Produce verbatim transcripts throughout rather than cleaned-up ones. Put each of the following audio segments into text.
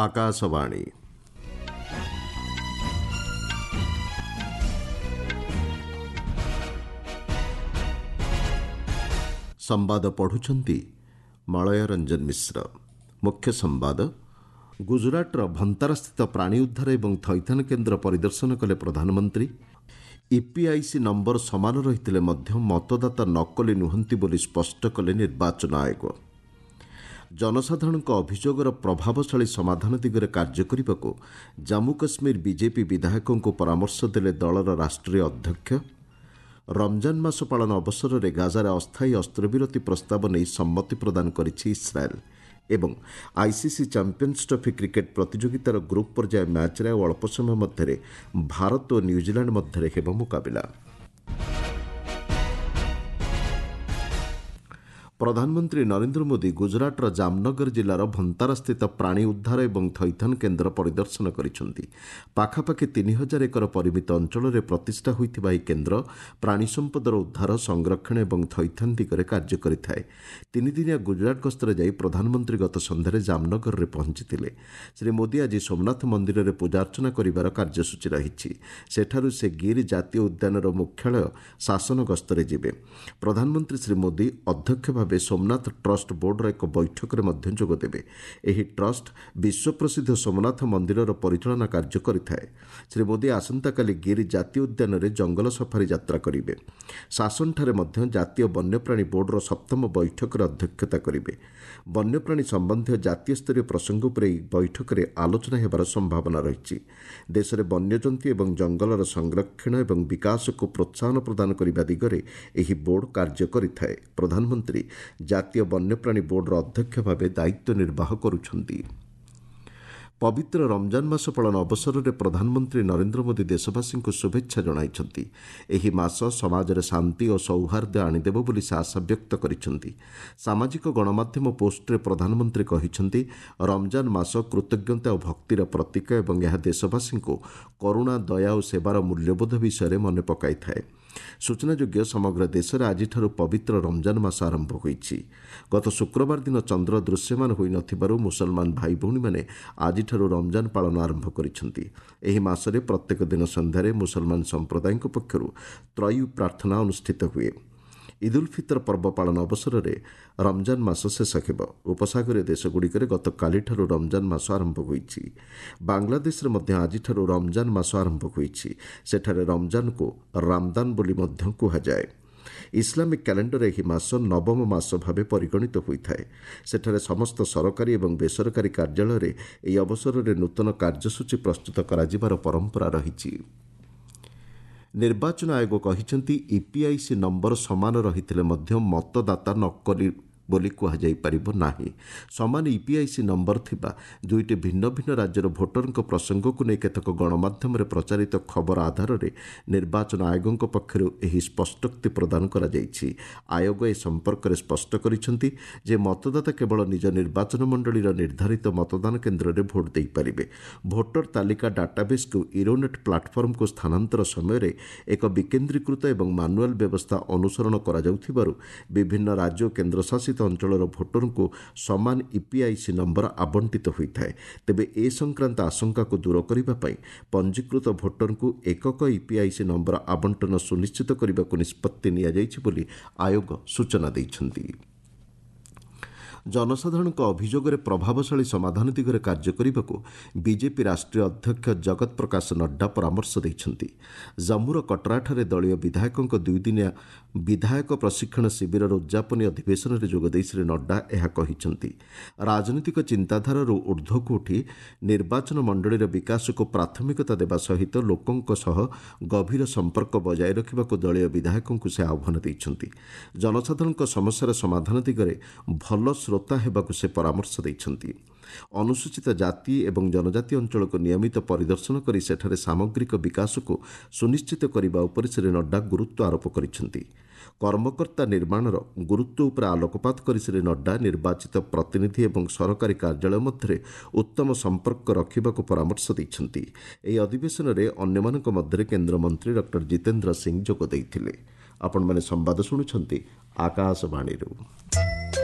ଆକାଶବାଣୀ। ସମ୍ବାଦ ପଢ଼ୁଛନ୍ତି ମଳୟ ରଞ୍ଜନ ମିଶ୍ର। ମୁଖ୍ୟ ସମ୍ବାଦ। ଗୁଜରାଟର ଭନ୍ତାରାସ୍ଥିତ ପ୍ରାଣୀ ଉଦ୍ଧାର ଏବଂ ଥଇଥାନ କେନ୍ଦ୍ର ପରିଦର୍ଶନ କଲେ ପ୍ରଧାନମନ୍ତ୍ରୀ। ଇପିଆଇସି ନମ୍ବର ସମାନ ରହିଥିଲେ ମଧ୍ୟ ମତଦାତା ନକଲି ନୁହନ୍ତି ବୋଲି ସ୍ପଷ୍ଟ କଲେ ନିର୍ବାଚନ ଆୟୋଗ। ଜନସାଧାରଣଙ୍କ ଅଭିଯୋଗର ପ୍ରଭାବଶାଳୀ ସମାଧାନ ଦିଗରେ କାର୍ଯ୍ୟ କରିବାକୁ ଜାମ୍ମୁ କାଶ୍ମୀର ବିଜେପି ବିଧାୟକଙ୍କୁ ପରାମର୍ଶ ଦେଲେ ଦଳର ରାଷ୍ଟ୍ରୀୟ ଅଧ୍ୟକ୍ଷ। ରମଜାନ ମାସ ପାଳନ ଅବସରରେ ଗାଜାରେ ଅସ୍ଥାୟୀ ଅସ୍ତ୍ରବିରତି ପ୍ରସ୍ତାବ ନେଇ ସମ୍ମତି ପ୍ରଦାନ କରିଛି ଇସ୍ରାଏଲ୍। ଏବଂ ଆଇସିସି ଚାମ୍ପିୟନ୍ସ ଟ୍ରଫି କ୍ରିକେଟ୍ ପ୍ରତିଯୋଗିତାର ଗ୍ରୁପ୍ ପର୍ଯ୍ୟାୟ ମ୍ୟାଚ୍ରେ ଆଉ ଅଳ୍ପ ସମୟ ମଧ୍ୟରେ ଭାରତ ଓ ନ୍ୟୁଜିଲାଣ୍ଡ ମଧ୍ୟରେ ହେବ ମୁକାବିଲା। ପ୍ରଧାନମନ୍ତ୍ରୀ ନରେନ୍ଦ୍ର ମୋଦି ଗୁଜରାଟର ଜାମନଗର ଜିଲ୍ଲାର ଭନ୍ତାରାସ୍ଥିତ ପ୍ରାଣୀ ଉଦ୍ଧାର ଏବଂ ଥଇଥାନ କେନ୍ଦ୍ର ପରିଦର୍ଶନ କରିଛନ୍ତି। ପାଖାପାଖି ତିନି ହଜାର ଏକର ପରିମିତ ଅଞ୍ଚଳରେ ପ୍ରତିଷ୍ଠା ହୋଇଥିବା ଏହି କେନ୍ଦ୍ର ପ୍ରାଣୀ ସମ୍ପଦର ଉଦ୍ଧାର, ସଂରକ୍ଷଣ ଏବଂ ଥଇଥାନ ଦିଗରେ କାର୍ଯ୍ୟ କରିଥାଏ। ତିନିଦିନିଆ ଗୁଜରାଟ ଗସ୍ତରେ ଯାଇ ପ୍ରଧାନମନ୍ତ୍ରୀ ଗତ ସନ୍ଧ୍ୟାରେ ଜାମନଗରରେ ପହଞ୍ଚିଥିଲେ। ଶ୍ରୀ ମୋଦି ଆଜି ସୋମନାଥ ମନ୍ଦିରରେ ପୂଜାର୍ଚ୍ଚନା କରିବାର କାର୍ଯ୍ୟସୂଚୀ ରହିଛି। ସେଠାରୁ ସେ ଗିର୍ ଜାତୀୟ ଉଦ୍ୟାନର ମୁଖ୍ୟାଳୟ ଶାସନ ଗସ୍ତରେ ଯିବେ। ପ୍ରଧାନମନ୍ତ୍ରୀ ଶ୍ରୀ ମୋଦି ଅଧ୍ୟକ୍ଷ ଭାବେ ସୋମନାଥ ଟ୍ରଷ୍ଟ ବୋର୍ଡର ଏକ ବୈଠକରେ ମଧ୍ୟ ଯୋଗଦେବେ। ଏହି ଟ୍ରଷ୍ଟ ବିଶ୍ୱପ୍ରସିଦ୍ଧ ସୋମନାଥ ମନ୍ଦିରର ପରିଚାଳନା କାର୍ଯ୍ୟ କରିଥାଏ। ଶ୍ରୀ ମୋଦି ଆସନ୍ତାକାଲି ଗିର୍ ଜାତୀୟ ଉଦ୍ୟାନରେ ଜଙ୍ଗଲ ସଫାରି ଯାତ୍ରା କରିବେ। ଶାସନଠାରେ ମଧ୍ୟ ଜାତୀୟ ବନ୍ୟପ୍ରାଣୀ ବୋର୍ଡର ସପ୍ତମ ବୈଠକରେ ଅଧ୍ୟକ୍ଷତା କରିବେ। ବନ୍ୟପ୍ରାଣୀ ସମ୍ବନ୍ଧୀୟ ଜାତୀୟ ସ୍ତରୀୟ ପ୍ରସଙ୍ଗ ଉପରେ ଏହି ବୈଠକରେ ଆଲୋଚନା ହେବାର ସମ୍ଭାବନା ରହିଛି। ଦେଶରେ ବନ୍ୟଜନ୍ତୁ ଏବଂ ଜଙ୍ଗଲର ସଂରକ୍ଷଣ ଏବଂ ବିକାଶକୁ ପ୍ରୋତ୍ସାହନ ପ୍ରଦାନ କରିବା ଦିଗରେ ଏହି ବୋର୍ଡ କାର୍ଯ୍ୟ କରିଥାଏ। ପ୍ରଧାନମନ୍ତ୍ରୀ ଜାତୀୟ ବନ୍ୟପ୍ରାଣୀ ବୋର୍ଡର ଅଧ୍ୟକ୍ଷ ଭାବେ ଦାୟିତ୍ୱ ନିର୍ବାହ କରୁଛନ୍ତି। ପବିତ୍ର ରମଜାନ ମାସ ପାଳନ ଅବସରରେ ପ୍ରଧାନମନ୍ତ୍ରୀ ନରେନ୍ଦ୍ର ମୋଦି ଦେଶବାସୀଙ୍କୁ ଶୁଭେଚ୍ଛା ଜଣାଇଛନ୍ତି। ଏହି ମାସ ସମାଜରେ ଶାନ୍ତି ଓ ସୌହାର୍ଦ୍ଦ୍ୟ ଆଣିଦେବ ବୋଲି ସେ ଆଶା ବ୍ୟକ୍ତ କରିଛନ୍ତି। ସାମାଜିକ ଗଣମାଧ୍ୟମ ପୋଷ୍ଟରେ ପ୍ରଧାନମନ୍ତ୍ରୀ କହିଛନ୍ତି, ରମଜାନ ମାସ କୃତଜ୍ଞତା ଓ ଭକ୍ତିର ପ୍ରତୀକ ଏବଂ ଏହା ଦେଶବାସୀଙ୍କୁ କରୁଣା, ଦୟା ଓ ସେବାର ମୂଲ୍ୟବୋଧ ବିଷୟରେ ମନେ ପକାଇଥାଏ। ସୂଚନାଯୋଗ୍ୟ, ସମଗ୍ର ଦେଶରେ ଆଜିଠାରୁ ପବିତ୍ର ରମଜାନ ମାସ ଆରମ୍ଭ ହୋଇଛି। ଗତ ଶୁକ୍ରବାର ଦିନ ଚନ୍ଦ୍ର ଦୃଶ୍ୟମାନ ହୋଇନଥିବାରୁ ମୁସଲମାନ ଭାଇଭଉଣୀମାନେ ଆଜିଠାରୁ ରମଜାନ ପାଳନ ଆରମ୍ଭ କରିଛନ୍ତି। ଏହି ମାସରେ ପ୍ରତ୍ୟେକ ଦିନ ସନ୍ଧ୍ୟାରେ ମୁସଲମାନ ସମ୍ପ୍ରଦାୟଙ୍କ ପକ୍ଷରୁ ତ୍ରୟୀ ପ୍ରାର୍ଥନା ଅନୁଷ୍ଠିତ ହୁଏ। ଇଦ୍ ଉଲ୍ ଫିତର ପର୍ବ ପାଳନ ଅବସରରେ ରମଜାନ ମାସ ଶେଷ ହେବ। ଉପସାଗରୀୟ ଦେଶଗୁଡ଼ିକରେ ଗତକାଲିଠାରୁ ରମଜାନ ମାସ ଆରମ୍ଭ ହୋଇଛି। ବାଂଲାଦେଶରେ ମଧ୍ୟ ଆଜିଠାରୁ ରମଜାନ ମାସ ଆରମ୍ଭ ହୋଇଛି। ସେଠାରେ ରମଜାନକୁ ରାମଦାନ ବୋଲି ମଧ୍ୟ କୁହାଯାଏ। ଇସଲାମିକ୍ କ୍ୟାଲେଣ୍ଡରରେ ଏହି ମାସ ନବମ ମାସ ଭାବେ ପରିଗଣିତ ହୋଇଥାଏ। ସେଠାରେ ସମସ୍ତ ସରକାରୀ ଏବଂ ବେସରକାରୀ କାର୍ଯ୍ୟାଳୟରେ ଏହି ଅବସରରେ ନୂତନ କାର୍ଯ୍ୟସୂଚୀ ପ୍ରସ୍ତୁତ କରାଯିବାର ପରମ୍ପରା ରହିଛି। ନିର୍ବାଚନ ଆୟୋଗ କହିଛନ୍ତି, ଇପିଆଇସି ନମ୍ବର ସମାନ ରହିଥିଲେ ମଧ୍ୟ ମତଦାତା ନକଲି ବୋଲି କୁହାଯାଇପାରିବ ନାହିଁ। ସମାନ ଇପିଆଇସି ନମ୍ବର ଥିବା ଦୁଇଟି ଭିନ୍ନ ଭିନ୍ନ ରାଜ୍ୟର ଭୋଟରଙ୍କ ପ୍ରସଙ୍ଗକୁ ନେଇ କେତେକ ଗଣମାଧ୍ୟମରେ ପ୍ରଚାରିତ ଖବର ଆଧାରରେ ନିର୍ବାଚନ ଆୟୋଗଙ୍କ ପକ୍ଷରୁ ଏହି ସ୍ପଷ୍ଟୋକ୍ତି ପ୍ରଦାନ କରାଯାଇଛି। ଆୟୋଗ ଏ ସମ୍ପର୍କରେ ସ୍ପଷ୍ଟ କରିଛନ୍ତି ଯେ ମତଦାତା କେବଳ ନିଜ ନିର୍ବାଚନ ମଣ୍ଡଳୀର ନିର୍ଦ୍ଧାରିତ ମତଦାନ କେନ୍ଦ୍ରରେ ଭୋଟ ଦେଇପାରିବେ। ଭୋଟର ତାଲିକା ଡାଟାବେସ୍କୁ ଇରୋନେଟ୍ ପ୍ଲାଟଫର୍ମକୁ ସ୍ଥାନାନ୍ତର ସମୟରେ ଏକ ବିକେନ୍ଦ୍ରୀକୃତ ଏବଂ ମାନୁଆଲ ବ୍ୟବସ୍ଥା ଅନୁସରଣ କରାଯାଉଥିବାରୁ ବିଭିନ୍ନ ରାଜ୍ୟ ଓ କେନ୍ଦ୍ରଶାସିତ ଅଞ୍ଚଳର ଭୋଟରଙ୍କୁ ସମାନ ଇପିଆଇସି ନମ୍ବର ଆବଣ୍ଟିତ ହୋଇଥାଏ। ତେବେ ଏ ସଂକ୍ରାନ୍ତ ଆଶଙ୍କାକୁ ଦୂର କରିବା ପାଇଁ ପଞ୍ଜୀକୃତ ଭୋଟରଙ୍କୁ ଏକକ ଇପିଆଇସି ନମ୍ବର ଆବଣ୍ଟନ ସୁନିଶ୍ଚିତ କରିବାକୁ ନିଷ୍ପତ୍ତି ନିଆଯାଇଛି ବୋଲି ଆୟୋଗ ସୂଚନା ଦେଇଛନ୍ତି। ଜନସାଧାରଣଙ୍କ ଅଭିଯୋଗରେ ପ୍ରଭାବଶାଳୀ ସମାଧାନ ଦିଗରେ କାର୍ଯ୍ୟ କରିବାକୁ ବିଜେପି ରାଷ୍ଟ୍ରୀୟ ଅଧ୍ୟକ୍ଷ ଜଗତ ପ୍ରକାଶ ନଡ୍ଡା ପରାମର୍ଶ ଦେଇଛନ୍ତି। ଜମ୍ମୁର କଟରାଠାରେ ଦଳୀୟ ବିଧାୟକଙ୍କ ଦୁଇଦିନିଆ ବିଧାୟକ ପ୍ରଶିକ୍ଷଣ ଶିବିରର ଉଦ୍ଯାପନୀ ଅଧିବେଶନରେ ଯୋଗଦେଇ ଶ୍ରୀ ନଡ୍ଡା ଏହା କହିଛନ୍ତି। ରାଜନୈତିକ ଚିନ୍ତାଧାରାରୁ ଉର୍ଦ୍ଧ୍ୱକୁ ଉଠି ନିର୍ବାଚନ ମଣ୍ଡଳୀର ବିକାଶକୁ ପ୍ରାଥମିକତା ଦେବା ସହିତ ଲୋକଙ୍କ ସହ ଗଭୀର ସମ୍ପର୍କ ବଜାୟ ରଖିବାକୁ ଦଳୀୟ ବିଧାୟକଙ୍କୁ ସେ ଆହ୍ୱାନ ଦେଇଛନ୍ତି। ଜନସାଧାରଣଙ୍କ ସମସ୍ୟାର ସମାଧାନ ଦିଗରେ ଭଲ ଶ୍ରୋତା ହେବାକୁ ସେ ପରାମର୍ଶ ଦେଇଛନ୍ତି। ଅନୁସୂଚିତ ଜାତି ଏବଂ ଜନଜାତି ଅଞ୍ଚଳକୁ ନିୟମିତ ପରିଦର୍ଶନ କରି ସେଠାରେ ସାମଗ୍ରିକ ବିକାଶକୁ ସୁନିଶ୍ଚିତ କରିବା ଉପରେ ଶ୍ରୀ ନଡ୍ଡା ଗୁରୁତ୍ୱ ଆରୋପ କରିଛନ୍ତି। କର୍ମକର୍ତ୍ତା ନିର୍ମାଣର ଗୁରୁତ୍ୱ ଉପରେ ଆଲୋକପାତ କରି ଶ୍ରୀ ନଡ୍ଡା ନିର୍ବାଚିତ ପ୍ରତିନିଧି ଏବଂ ସରକାରୀ କାର୍ଯ୍ୟାଳୟ ମଧ୍ୟରେ ଉତ୍ତମ ସମ୍ପର୍କ ରଖିବାକୁ ପରାମର୍ଶ ଦେଇଛନ୍ତି। ଏହି ଅଧିବେଶନରେ ଅନ୍ୟମାନଙ୍କ ମଧ୍ୟରେ କେନ୍ଦ୍ରମନ୍ତ୍ରୀ ଡକ୍ଟର ଜିତେନ୍ଦ୍ର ସିଂ ଯୋଗ ଦେଇଥିଲେ। ଆପଣମାନେ ସମ୍ବାଦ ଶୁଣୁଛନ୍ତି ଆକାଶବାଣୀରୁ।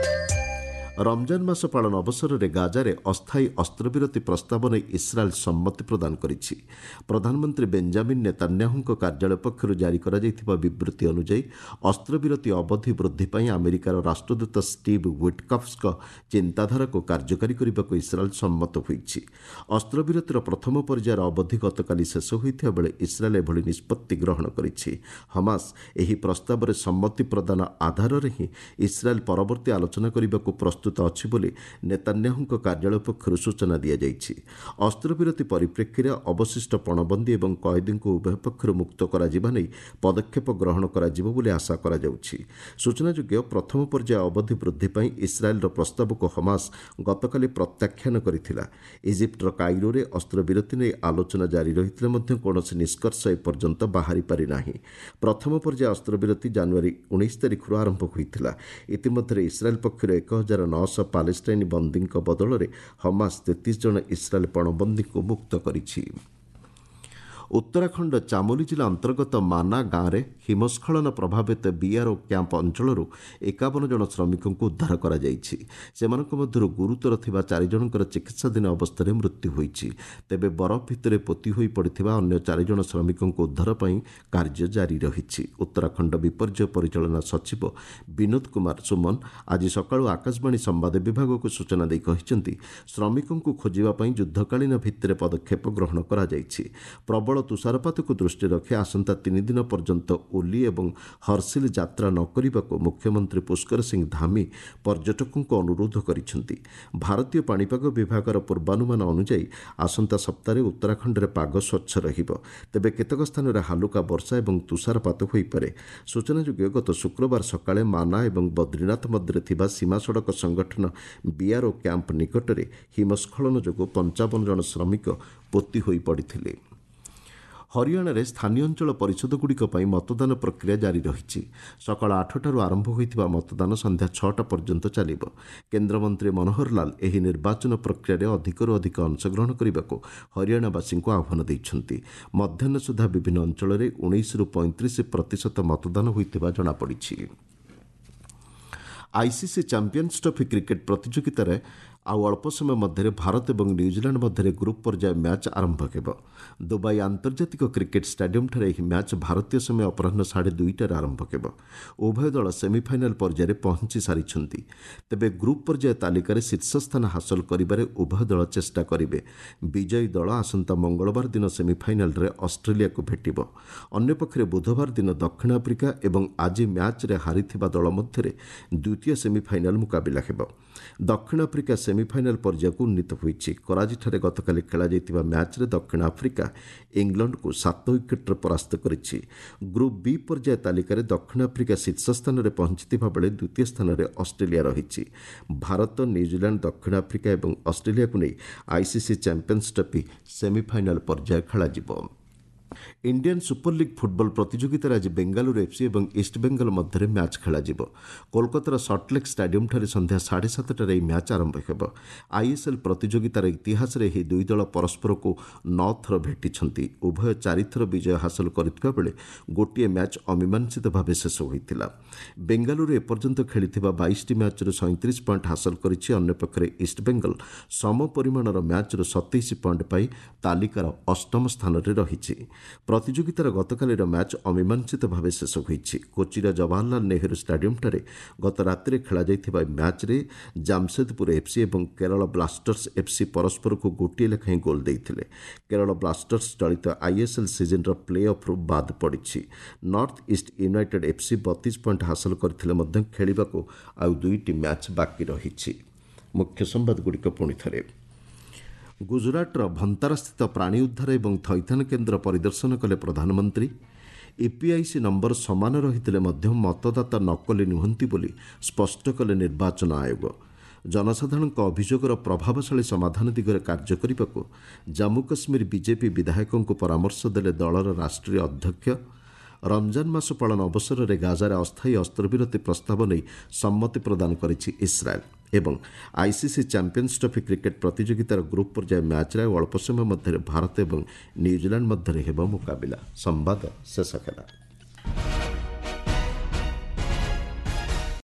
ରମଜାନ ମାସ ପାଳନ ଅବସରରେ ଗାଜାରେ ଅସ୍ଥାୟୀ ଅସ୍ତ୍ରବିରତି ପ୍ରସ୍ତାବ ନେଇ ଇସ୍ରାଏଲ୍ ସମ୍ମତି ପ୍ରଦାନ କରିଛି। ପ୍ରଧାନମନ୍ତ୍ରୀ ବେଞ୍ଜାମିନ୍ ନେତାନ୍ୟାହୁଙ୍କ କାର୍ଯ୍ୟାଳୟ ପକ୍ଷରୁ ଜାରି କରାଯାଇଥିବା ବିବୃତ୍ତି ଅନୁଯାୟୀ ଅସ୍ତ୍ରବିରତି ଅବଧି ବୃଦ୍ଧି ପାଇଁ ଆମେରିକାର ରାଷ୍ଟ୍ରଦୂତ ଷ୍ଟିଭ୍ ୱିଟକଫ୍ଙ୍କ ଚିନ୍ତାଧାରାକୁ କାର୍ଯ୍ୟକାରୀ କରିବାକୁ ଇସ୍ରାଏଲ୍ ସମ୍ମତ ହୋଇଛି। ଅସ୍ତ୍ରବିରତିର ପ୍ରଥମ ପର୍ଯ୍ୟାୟର ଅବଧି ଗତକାଲି ଶେଷ ହୋଇଥିବା ବେଳେ ଇସ୍ରାଏଲ୍ ଏଭଳି ନିଷ୍ପତ୍ତି ଗ୍ରହଣ କରିଛି। ହମାସ ଏହି ପ୍ରସ୍ତାବରେ ସମ୍ମତି ପ୍ରଦାନ ଆଧାରରେ ହିଁ ଇସ୍ରାଏଲ୍ ପରବର୍ତ୍ତୀ ଆଲୋଚନା କରିବାକୁ ପ୍ରସ୍ତୁତ ଅଛି ବୋଲି ନେତାନ୍ୟାହୁଙ୍କ କାର୍ଯ୍ୟାଳୟ ପକ୍ଷରୁ ସୂଚନା ଦିଆଯାଇଛି। ଅସ୍ତ୍ରବିରତି ପରିପ୍ରେକ୍ଷୀରେ ଅବଶିଷ୍ଟ ପଣବନ୍ଦୀ ଏବଂ କଏଦୀଙ୍କୁ ଉଭୟ ପକ୍ଷରୁ ମୁକ୍ତ କରାଯିବା ନେଇ ପଦକ୍ଷେପ ଗ୍ରହଣ କରାଯିବ ବୋଲି ଆଶା କରାଯାଉଛି। ସୂଚନାଯୋଗ୍ୟ, ପ୍ରଥମ ପର୍ଯ୍ୟାୟ ଅବଧି ବୃଦ୍ଧି ପାଇଁ ଇସ୍ରାଏଲ୍ର ପ୍ରସ୍ତାବକୁ ହମାସ ଗତକାଲି ପ୍ରତ୍ୟାଖ୍ୟାନ କରିଥିଲା। ଇଜିପ୍ଟର କାଇରୋରେ ଅସ୍ତ୍ରବିରତି ନେଇ ଆଲୋଚନା ଜାରି ରହିଥିଲେ ମଧ୍ୟ କୌଣସି ନିଷ୍କର୍ଷ ଏପର୍ଯ୍ୟନ୍ତ ବାହାରି ପାରିନାହିଁ। ପ୍ରଥମ ପର୍ଯ୍ୟାୟ ଅସ୍ତ୍ରବିରତି ଜାନୁଆରୀ ଉଣେଇଶ ତାରିଖରୁ ଆରମ୍ଭ ହୋଇଥିଲା। ଇତିମଧ୍ୟରେ ଇସ୍ରାଏଲ୍ ପକ୍ଷରୁ ଏକ ହଜାର ନଅଶହ ପାଲେଷ୍ଟାଇନ ବନ୍ଦୀଙ୍କ ବଦଳରେ ହମାସ ତେତିଶ ଜଣ ଇସ୍ରାଏଲ୍ ପଣବନ୍ଦୀଙ୍କୁ ମୁକ୍ତ କରିଛି। ଉତ୍ତରାଖଣ୍ଡ ଚାମୋଲି ଜିଲ୍ଲା ଅନ୍ତର୍ଗତ ମାନା ଗାଁରେ ହିମସ୍ଖଳନ ପ୍ରଭାବିତ ବିଆର୍ଓ କ୍ୟାମ୍ପ ଅଞ୍ଚଳରୁ ଏକାବନ ଜଣ ଶ୍ରମିକଙ୍କୁ ଉଦ୍ଧାର କରାଯାଇଛି। ସେମାନଙ୍କ ମଧ୍ୟରୁ ଗୁରୁତର ଥିବା ଚାରି ଜଣଙ୍କର ଚିକିତ୍ସାଧୀନ ଅବସ୍ଥାରେ ମୃତ୍ୟୁ ହୋଇଛି। ତେବେ ବରଫ ଭିତରେ ପୋତି ହୋଇ ପଡ଼ିଥିବା ଅନ୍ୟ ଚାରିଜଣ ଶ୍ରମିକଙ୍କୁ ଉଦ୍ଧାର ପାଇଁ କାର୍ଯ୍ୟ ଜାରି ରହିଛି। ଉତ୍ତରାଖଣ୍ଡ ବିପର୍ଯ୍ୟୟ ପରିଚାଳନା ସଚିବ ବିନୋଦ କୁମାର ସୁମନ ଆଜି ସକାଳୁ ଆକାଶବାଣୀ ସମ୍ବାଦ ବିଭାଗକୁ ସୂଚନା ଦେଇ କହିଛନ୍ତି, ଶ୍ରମିକଙ୍କୁ ଖୋଜିବା ପାଇଁ ଯୁଦ୍ଧକାଳୀନ ଭିତ୍ତିରେ ପଦକ୍ଷେପ ଗ୍ରହଣ କରାଯାଇଛି। ପ୍ରବଳ ତୁଷାରପାତକୁ ଦୃଷ୍ଟିରେ ରଖି ଆସନ୍ତା ତିନି ଦିନ ପର୍ଯ୍ୟନ୍ତ ଓଲି ଏବଂ ହର୍ସିଲ ଯାତ୍ରା ନ କରିବାକୁ ମୁଖ୍ୟମନ୍ତ୍ରୀ ପୁଷ୍କର ସିଂ ଧାମି ପର୍ଯ୍ୟଟକଙ୍କୁ ଅନୁରୋଧ କରିଛନ୍ତି। ଭାରତୀୟ ପାଣିପାଗ ବିଭାଗର ପୂର୍ବାନୁମାନ ଅନୁଯାୟୀ ଆସନ୍ତା ସପ୍ତାହରେ ଉତ୍ତରାଖଣ୍ଡରେ ପାଗ ସ୍ୱଚ୍ଛ ରହିବ। ତେବେ କେତେକ ସ୍ଥାନରେ ହାଲୁକା ବର୍ଷା ଏବଂ ତୁଷାରପାତ ହୋଇପାରେ। ସୂଚନାଯୋଗ୍ୟ, ଗତ ଶୁକ୍ରବାର ସକାଳେ ମାନା ଏବଂ ବଦ୍ରୀନାଥ ମଧ୍ୟରେ ଥିବା ସୀମା ସଡ଼କ ସଂଗଠନ ବିଆର୍ଓ କ୍ୟାମ୍ପ ନିକଟରେ ହିମସ୍ଖଳନ ଯୋଗୁଁ ପଞ୍ଚାବନ ଜଣ ଶ୍ରମିକ ପୋତି ହୋଇ ପଡ଼ିଥିଲେ। ହରିୟାଣାରେ ସ୍ଥାନୀୟ ଅଞ୍ଚଳ ପରିଷଦଗୁଡ଼ିକ ପାଇଁ ମତଦାନ ପ୍ରକ୍ରିୟା ଜାରି ରହିଛି। ସକାଳ ଆଠଟାରୁ ଆରମ୍ଭ ହୋଇଥିବା ମତଦାନ ସନ୍ଧ୍ୟା ଛଅଟା ପର୍ଯ୍ୟନ୍ତ ଚାଲିବ। କେନ୍ଦ୍ରମନ୍ତ୍ରୀ ମନୋହର ଲାଲ ଏହି ନିର୍ବାଚନ ପ୍ରକ୍ରିୟାରେ ଅଧିକରୁ ଅଧିକ ଅଂଶଗ୍ରହଣ କରିବାକୁ ହରିୟାଣାବାସୀଙ୍କୁ ଆହ୍ୱାନ ଦେଇଛନ୍ତି। ମଧ୍ୟାହ୍ନ ସୁଦ୍ଧା ବିଭିନ୍ନ ଅଞ୍ଚଳରେ ଉଣେଇଶରୁ ପଇଁତିରିଶ ପ୍ରତିଶତ ମତଦାନ ହୋଇଥିବା ଜଣାପଡ଼ିଛି। ଆଇସିସି ଚାମ୍ପିୟନ୍ସ ଟ୍ରଫି କ୍ରିକେଟ୍ ପ୍ରତିଯୋଗିତାରେ ଆଉ ଅଳ୍ପ ସମୟ ମଧ୍ୟରେ ଭାରତ ଏବଂ ନ୍ୟୁଜିଲାଣ୍ଡ ମଧ୍ୟରେ ଗ୍ରୁପ୍ ପର୍ଯ୍ୟାୟ ମ୍ୟାଚ୍ ଆରମ୍ଭ ହେବ। ଦୁବାଇ ଆନ୍ତର୍ଜାତିକ କ୍ରିକେଟ୍ ଷ୍ଟାଡିୟମ୍ଠାରେ ଏହି ମ୍ୟାଚ୍ ଭାରତୀୟ ସମୟ ଅପରାହ୍ନ ସାଢ଼େ ଦୁଇଟାରେ ଆରମ୍ଭ ହେବ। ଉଭୟ ଦଳ ସେମିଫାଇନାଲ୍ ପର୍ଯ୍ୟାୟରେ ପହଞ୍ଚି ସାରିଛନ୍ତି। ତେବେ ଗ୍ରୁପ୍ ପର୍ଯ୍ୟାୟ ତାଲିକାରେ ଶୀର୍ଷ ସ୍ଥାନ ହାସଲ କରିବାରେ ଉଭୟ ଦଳ ଚେଷ୍ଟା କରିବେ। ବିଜୟୀ ଦଳ ଆସନ୍ତା ମଙ୍ଗଳବାର ଦିନ ସେମିଫାଇନାଲ୍ରେ ଅଷ୍ଟ୍ରେଲିଆକୁ ଭେଟିବ। ଅନ୍ୟପକ୍ଷରେ ବୁଧବାର ଦିନ ଦକ୍ଷିଣ ଆଫ୍ରିକା ଏବଂ ଆଜି ମ୍ୟାଚ୍ରେ ହାରିଥିବା ଦଳ ମଧ୍ୟରେ ଦ୍ୱିତୀୟ ସେମିଫାଇନାଲ୍ ମୁକାବିଲା ହେବ। ଦକ୍ଷିଣ ଆଫ୍ରିକା ସେମିଫାଇନାଲ୍ ପର୍ଯ୍ୟାୟକୁ ଉନ୍ନୀତ ହୋଇଛି। କରାଚିଠାରେ ଗତକାଲି ଖେଳାଯାଇଥିବା ମ୍ୟାଚ୍ରେ ଦକ୍ଷିଣ ଆଫ୍ରିକା ଇଂଲଣ୍ଡକୁ ସାତ ୱିକେଟ୍ରେ ପରାସ୍ତ କରିଛି। ଗ୍ରୁପ୍ ବି ପର୍ଯ୍ୟାୟ ତାଲିକାରେ ଦକ୍ଷିଣ ଆଫ୍ରିକା ଶୀର୍ଷ ସ୍ଥାନରେ ପହଞ୍ଚିଥିବା ବେଳେ ଦ୍ୱିତୀୟ ସ୍ଥାନରେ ଅଷ୍ଟ୍ରେଲିଆ ରହିଛି। ଭାରତ, ନ୍ୟୁଜିଲାଣ୍ଡ, ଦକ୍ଷିଣ ଆଫ୍ରିକା ଏବଂ ଅଷ୍ଟ୍ରେଲିଆକୁ ନେଇ ଆଇସିସି ଚାମ୍ପିୟନ୍ସ ଟ୍ରଫି ସେମିଫାଇନାଲ୍ ପର୍ଯ୍ୟାୟ ଖେଳାଯିବ। ଇଣ୍ଡିଆନ୍ ସୁପର ଲିଗ୍ ଫୁଟବଲ ପ୍ରତିଯୋଗିତାରେ ଆଜି ବେଙ୍ଗାଲୁରୁ ଏଫ୍ସି ଏବଂ ଇଷ୍ଟବେଙ୍ଗଲ ମଧ୍ୟରେ ମ୍ୟାଚ୍ ଖେଳାଯିବ। କୋଲକାତାର ସଲ୍ଟଲେକ୍ ଷ୍ଟାଡିୟମ୍ଠାରେ ସନ୍ଧ୍ୟା ସାଢ଼େ ସାତଟାରେ ଏହି ମ୍ୟାଚ୍ ଆରମ୍ଭ ହେବ। ଆଇଏସ୍ଏଲ୍ ପ୍ରତିଯୋଗିତାର ଇତିହାସରେ ଏହି ଦୁଇ ଦଳ ପରସ୍ପରକୁ ନଅ ଥର ଭେଟିଛନ୍ତି। ଉଭୟ ଚାରିଥର ବିଜୟ ହାସଲ କରିଥିବା ବେଳେ ଗୋଟିଏ ମ୍ୟାଚ୍ ଅମୀମାଂସିତ ଭାବେ ଶେଷ ହୋଇଥିଲା। ବେଙ୍ଗାଲୁରୁ ଏପର୍ଯ୍ୟନ୍ତ ଖେଳିଥିବା ବାଇଶଟି ମ୍ୟାଚ୍ରୁ ସଇଁତିରିଶ ପଏଣ୍ଟ ହାସଲ କରିଛି। ଅନ୍ୟପକ୍ଷରେ ଇଷ୍ଟବେଙ୍ଗଲ ସମ ପରିମାଣର ମ୍ୟାଚ୍ରୁ ସତେଇଶ ପଏଣ୍ଟ ପାଇ ତାଲିକାର ଅଷ୍ଟମ ସ୍ଥାନରେ ରହିଛି। ପ୍ରତିଯୋଗିତାର ଗତକାଲିର ମ୍ୟାଚ୍ ଅମୀମାଂସିତ ଭାବେ ଶେଷ ହୋଇଛି। କୋଚିର ଜବାହରଲାଲ ନେହେରୁ ଷ୍ଟାଡିୟମ୍ଠାରେ ଗତ ରାତିରେ ଖେଳାଯାଇଥିବା ମ୍ୟାଚ୍ରେ ଜାମସେଦପୁର ଏଫ୍ସି ଏବଂ କେରଳ ବ୍ଲାଷ୍ଟର୍ସ ଏଫ୍ସି ପରସ୍ପରକୁ ଗୋଟିଏ ଲେଖାଏଁ ଗୋଲ୍ ଦେଇଥିଲେ। କେରଳ ବ୍ଲାଷ୍ଟର୍ସ ଚଳିତ ଆଇଏସ୍ଏଲ୍ ସିଜନ୍ର ପ୍ଲେ ଅଫ୍ରୁ ବାଦ୍ ପଡ଼ିଛି। ନର୍ଥ ଇଷ୍ଟ ୟୁନାଇଟେଡ୍ ଏଫ୍ସି ବତିଶ ପଏଣ୍ଟ ହାସଲ କରିଥିଲେ ମଧ୍ୟ ଖେଳିବାକୁ ଆଉ ଦୁଇଟି ମ୍ୟାଚ୍ ବାକି ରହିଛି। ମୁଖ୍ୟ ସମ୍ବାଦଗୁଡ଼ିକ ପୁଣି ଥରେ। ଗୁଜରାଟର ଭନ୍ତାରାସ୍ଥିତ ପ୍ରାଣୀ ଉଦ୍ଧାର ଏବଂ ଥଇଥାନ କେନ୍ଦ୍ର ପରିଦର୍ଶନ କଲେ ପ୍ରଧାନମନ୍ତ୍ରୀ। ଇପିଆଇସି ନମ୍ବର ସମାନ ରହିଥିଲେ ମଧ୍ୟ ମତଦାତା ନକଲି ନୁହନ୍ତି ବୋଲି ସ୍ପଷ୍ଟ କଲେ ନିର୍ବାଚନ ଆୟୋଗ। ଜନସାଧାରଣଙ୍କ ଅଭିଯୋଗର ପ୍ରଭାବଶାଳୀ ସମାଧାନ ଦିଗରେ କାର୍ଯ୍ୟ କରିବାକୁ ଜାମ୍ମୁ କାଶ୍ମୀର ବିଜେପି ବିଧାୟକଙ୍କୁ ପରାମର୍ଶ ଦେଲେ ଦଳର ରାଷ୍ଟ୍ରୀୟ ଅଧ୍ୟକ୍ଷ। ରମଜାନ ମାସ ପାଳନ ଅବସରରେ ଗାଜାରେ ଅସ୍ଥାୟୀ ଅସ୍ତ୍ରବିରତି ପ୍ରସ୍ତାବ ନେଇ ସମ୍ମତି ପ୍ରଦାନ କରିଛି ଇସ୍ରାଏଲ୍। ଏବଂ ଆଇସିସି ଚାମ୍ପିୟନ୍ସ ଟ୍ରଫି କ୍ରିକେଟ୍ ପ୍ରତିଯୋଗିତାର ଗ୍ରୁପ୍ ପର୍ଯ୍ୟାୟ ମ୍ୟାଚ୍ରେ ଆଉ ଅଳ୍ପ ସମୟ ମଧ୍ୟରେ ଭାରତ ଏବଂ ନ୍ୟୁଜିଲାଣ୍ଡ ମଧ୍ୟରେ ହେବ ମୁକାବିଲା। ସମ୍ବାଦ ଶେଷ ହେଲା।